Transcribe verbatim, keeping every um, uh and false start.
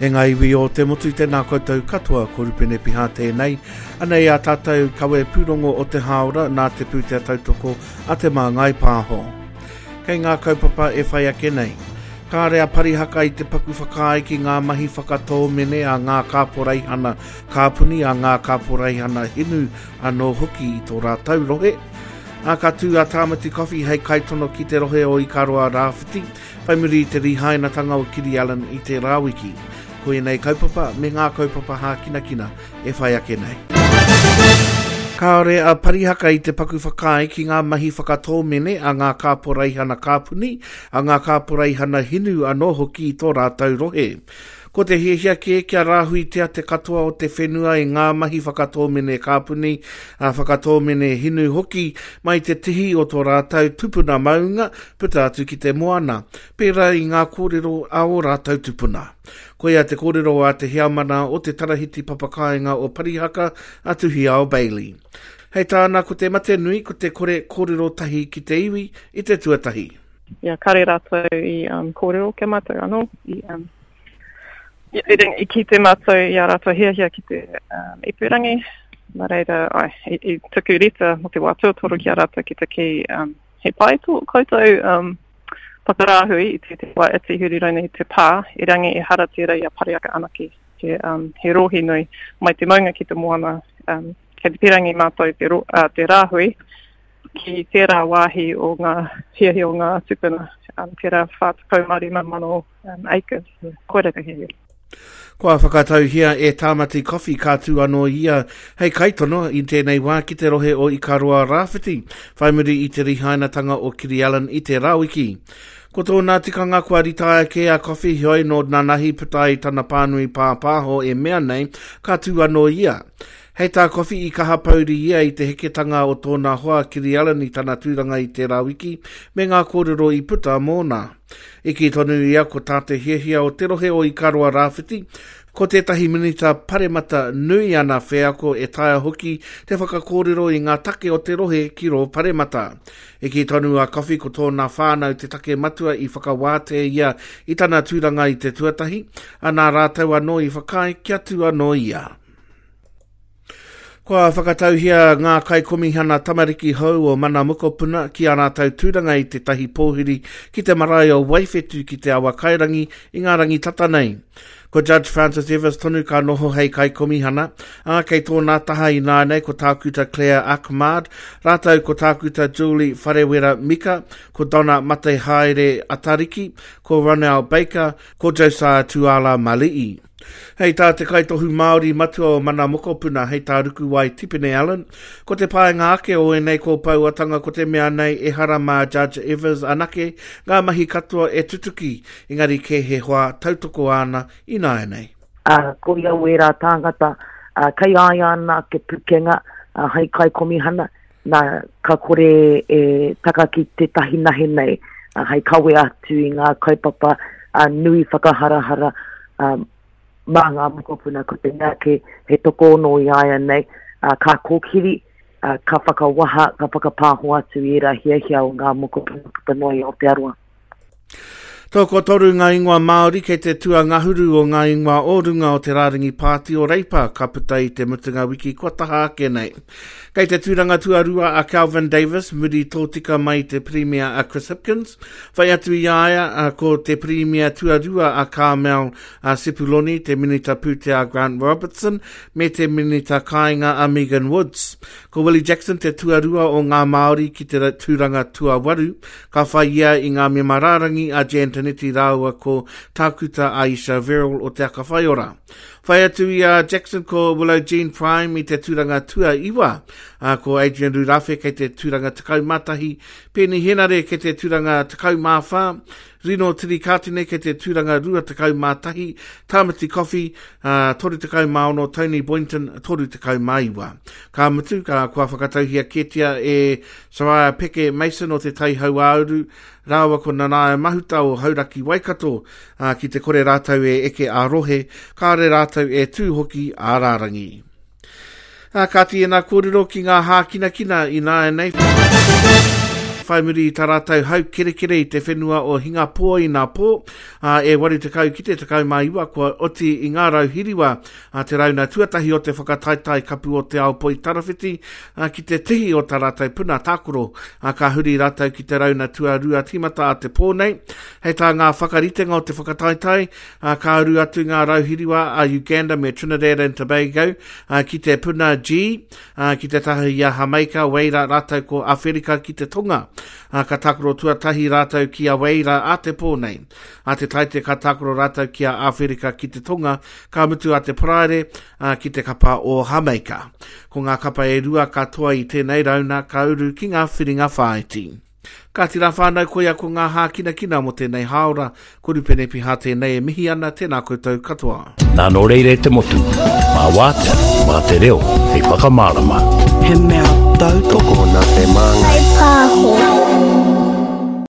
E ngā iwi o te motu, tēnā koutou katoa, ko Rupene Piha tēnei. Anei a tātou kawe pūrongo o te hāora nā te pūtea tautoko a Te Māngai Pāho. Kei ngā kaupapa e whai ake nei. Kāre a Parihaka i te paku whakaae ki ngā mahi whakatōmene a ngā kāporeihana kāpuni, a ngā kāporeihana hinu anō hoki i tō rātou rohe. Ā, ka tū a Tāmati Coffey hei kaitono ki te rohe o Ikaroa Rāwhiti, whai muri i te rihainatanga o Kiri Allan i tērā wiki. Ko ēnei kaupapa me ngā kaupapa hākinakina e whai ake nei. Kāore a Parihaka i te paku whakaae ki ngā mahi whakatōmene a ngā kāporeihana kāpuni, a ngā kāporeihana hinu anō hoki i tō rātou rohe. Ko te hiahia kē kia rāhuitia te katoa o te whenua i ngā mahi whakatōmene kāpuni, a whakatōmene hinu hoki mai te tihi o tō rātou tupuna maunga puta atu ki te moana, pērā i ngā kōrero a ō rātou tupuna. Koia te kōrero a te heamana o te Tarahiti Papakāinga o Parihaka, a Tuhiao Bailey. Hei tāna ko te mate nui ko te kore kōrero tahi ki te iwi i te tuatahi. Ia, kare rātou i um, kōrero kia mātou anō. I, um, i, i, i kite mātou i a rātou hiahia ki te um, ipurangi. Nā reira, ai, i, i tuku reta mō te wā tuatoru ki a rātou ki te kī, um, he pai tō koutou um, whakarāhui i te, te wā iti huri rauna i te pā, i rangi e hara tērā i a Parihaka anake, he, um, he rohe nui mai te maunga ki te moana, um, kei te pirangi mātou te, ro, uh, te rāhui ki tērā wāhi o ngā hiahia o ngā tupuna, um, tērā whā tekau mā rima mano um, acres, koira te hiahia. Kua whakatauhia e Tāmati Coffey ka tū anō ia hei kaitono i tēnei wā ki te rohe o Ikaroa Rāwhiti, whai muri i te rihainatanga o Kiri Allan i tērā wiki. Ko tōna tikanga kua ritaia kē a Coffey, heoi nō nanahi puta i tana pānui pāpāho e mea nei, ka tū anō ia. Hei tā Coffey i kaha pauri ia i te heketanga o tōna hoa Kiri Allan i tana tūranga i tērā wiki, me ngā kōrero i puta mōna. I kī tonu ia ko tā te hiahia o te rohe o Ikaroa Rāwhiti, ko tētahi minita paremata nui ana wheako e taea hoki te whakakōrero i ngā take o te rohe ki rō paremata. I kī tonu a Coffey ko tōna whānau te take matua i whakawātea ia i tana tūranga i te tuatahi, a nā rātou anō i whakaae kia tū anō ia. Kua whakatauhia ngā kaikomihana tamariki hou o Mana Mokopuna ki a rātou tūranga i tētahi pōhiri ki te marae o Waiwhetu ki te awa kairangi i ngā rangi tata nei. Ko Judge Francis Evers tonu ka noho hei kaikomihana, ā, kei tōna taha i nāianei ko Tākuta Claire Achmad, rātou ko Tākuta Julie Wharewera Mika, ko Donna Matehaere Atariki, ko Ronel Baker, ko Josiah Tuala Mali'i. Hei tā te kaitohu Māori matua o Mana Mokopuna, hei tā Rukuwai Tipene Allen, ko te paenga ake o ēnei kōpauatanga ko te mea nei e hara mā Judge Evers anake ngā mahi katoa e tutuki, engari kē he hoa tautoko āna i nāianei. Uh, ko ia o ērā tāngata, uh, kei a ia ana ke pukenga, uh, hei kaikomihana, nā ka kore e taka ki tētahi nahe nei, uh, hei kawe atu i ngā kaupapa uh, nui whakaharahara, um, mā ngā mokopuna ko te mea ke he tokoono i a ia nei, uh, ka kōkiri, uh, ka whakawaha, ka whakapāho atu i ērā hiahia o ngā mokopuna puta noa i Aotearoa. Tokotoru ngā ingoa Māori kei te tuangahuru o ngā ingoa o runga o te rārangi pāti o Reipa ka puta i te mutunga wiki kua taha ake nei. Kei te tūranga tuarua a Kelvin Davis, muri tōtika mai te Premier a Chris Hipkins. Whai atu i a ia ko te Premier tuarua a Carmel a Sepuloni, te Minita Pūtea Grant Robertson, me te Minita Kāinga a Megan Woods. Ko Willie Jackson te tuarua o ngā Māori ki te tūranga tuawaru, ka whai ia i ngā mema rārangi a Jan Tinetti rāua ko Tākuta Aisha Verrall o Te Aka Whaiora. Whai atu i a Jackson ko Willow Jean Prime i te tūranga tuaiwa, a ko Adrian Rurawhe kei te tūranga tekau mā tahi, Peeni Henare kei te tūranga tekau mā whā, Rino Tirikatene kei te tūranga rua tekau mā tahi, Tāmati Coffey, uh, toru tekau mā ono, Tony Boynton, toru tekau mā iwa. Ka mutu, ka kua whakatauhia kētia e Soraya Peke Mason o te Tai Hauāuru, rāua ko Nanaia Mahuta o Hauraki Waikato, uh, ki te kore rātou e eke a rohe, kāre rātou e tū hoki a rārangi. Ā, kāti ēnā kōrero ki ngā hākinakina i nāianei. whai muri i tā rātou hau kerekere i te whenua o Hingapō i nā pō, ā, e waru tekau ki te tekau mā iwa kua oti i ngā rau hiriwa a te rauna tuatahi o te whakataetae kapu o te ao poi tarawhiti, ā, ki te tihi o tā rātou puna tākaro, ā, ka huri rātou ki te rauna tuarua tīmata a te pō nei. Hei tā ngā whakaritenga o te whakataetae, ā, ka uru atu ngā rau hiriwa a Uganda me Trinidad and Tobago, ā, ki te puna G, ā, ki te taha i a Hamaika, Weira rātou ko Awherika ki te Tonga. Ā, ka tākaro tuatahi rātou ki a Weira a te pō nei. A te Taite ka tākaro rātou ki a Awherika ki te Tonga, ka mutu a te Paraire, ā, ki te kapa o Hamaika. Ko ngā kapa e rua katoa i tēnei rauna ka uru ki ngā whiringa whāiti. Kāti rā whānau, koia ko ngā hākinakina mō tēnei hāora, ko Rupene Piha tēnei e mihi ana, tēnā koutou katoa. Nā nō reira e te motu, mā wātea, mā te reo, hei whakamārama. He mea tautoko nā te māngai. Pāho.